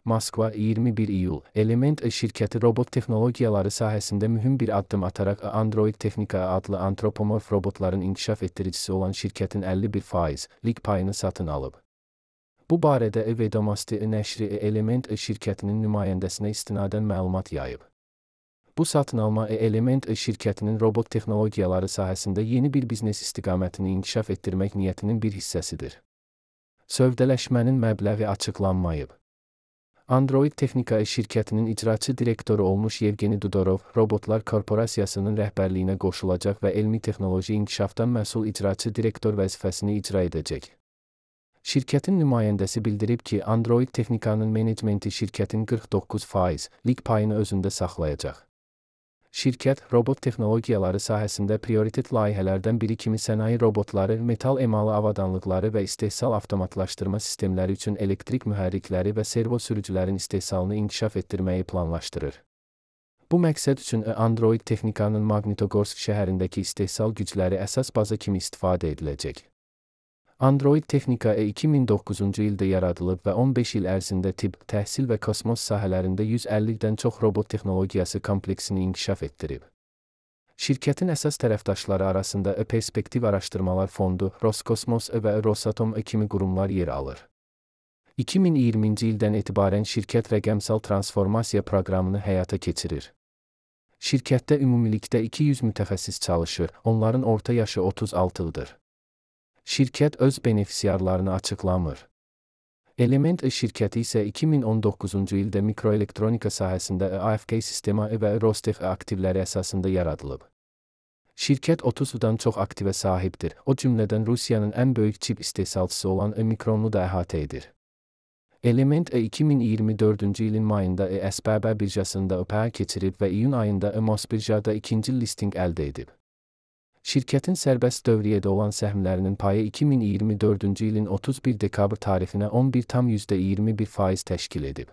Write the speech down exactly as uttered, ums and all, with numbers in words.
Moskva, iyirmi bir iyul. Element şirkəti robot texnologiyaları sahəsində mühüm bir addım ataraq Android Technica adlı antropomorf robotların inkişaf etdiricisi olan şirkətin əlli bir faizlik payını satın alıb. Bu barədə Vedomosti nəşri Element şirkətinin nümayəndəsinə istinadən məlumat yayıb. Bu satın alma Element şirkətinin robot texnologiyaları sahəsində yeni bir biznes istiqamətini inkişaf etdirmək niyyətinin bir hissəsidir. Sövdələşmənin məbləği açıqlanmayıb. Android Technica şirkətinin icraçı direktoru olmuş Yevgeni Dudorov, Robotlar Korporasiyasının rəhbərliyinə qoşulacaq və elmi texnoloji inkişafdan məsul icraçı direktor vəzifəsini icra edəcək. Şirkətin nümayəndəsi bildirib ki, Android Technica'nın menecmenti şirkətin qırx doqquz faizlik payını özündə saxlayacaq. Şirkət, robot texnologiyaları sahəsində prioritet layihələrdən biri kimi sənaye robotları, metal emalı avadanlıqları və istehsal avtomatlaşdırma sistemləri üçün elektrik mühərrikləri və servo sürücülərin istehsalını inkişaf etdirməyi planlaşdırır. Bu məqsəd üçün Android Technica'nın Magnitogorsk şəhərindəki istehsal gücləri əsas baza kimi istifadə ediləcək. Android Technica iki min doqquzuncu ildə yaradılıb və on beş il ərzində tibb, təhsil və kosmos sahələrində yüz əllidən çox robot texnologiyası kompleksini inkişaf etdirib. Şirkətin əsas tərəfdaşları arasında Perspektiv Araşdırmalar Fondu, Roskosmos və Rosatom kimi qurumlar yer alır. iki min iyirminci ildən etibarən şirkət rəqəmsal transformasiya proqramını həyata keçirir. Şirkətdə ümumilikdə iki yüz mütəxəssis çalışır, onların orta yaşı otuz altı ildir. Şirkət öz benefisiarlarını açıqlamır. Element şirkəti isə iki min on doqquzuncu ildə mikroelektronika sahəsində A F K sistema və Rostec aktivləri əsasında yaradılıb. Şirkət otuzdan çox aktivə sahibdir, o cümlədən Rusiyanın ən böyük çip istehsalçısı olan Mikronu da əhatə edir. Element iki min iyirmi dördüncü ilin mayında S B B birjasında I P O keçirib və iyun ayında Mosbirjada ikinci listinq əldə edib. Şirkətin sərbəst dövriyyədə olan səhmlərinin payı iki min iyirmi dördüncü ilin otuz bir dekabr tarixinə on bir tam yüzdə iyirmi bir faiz təşkil edib.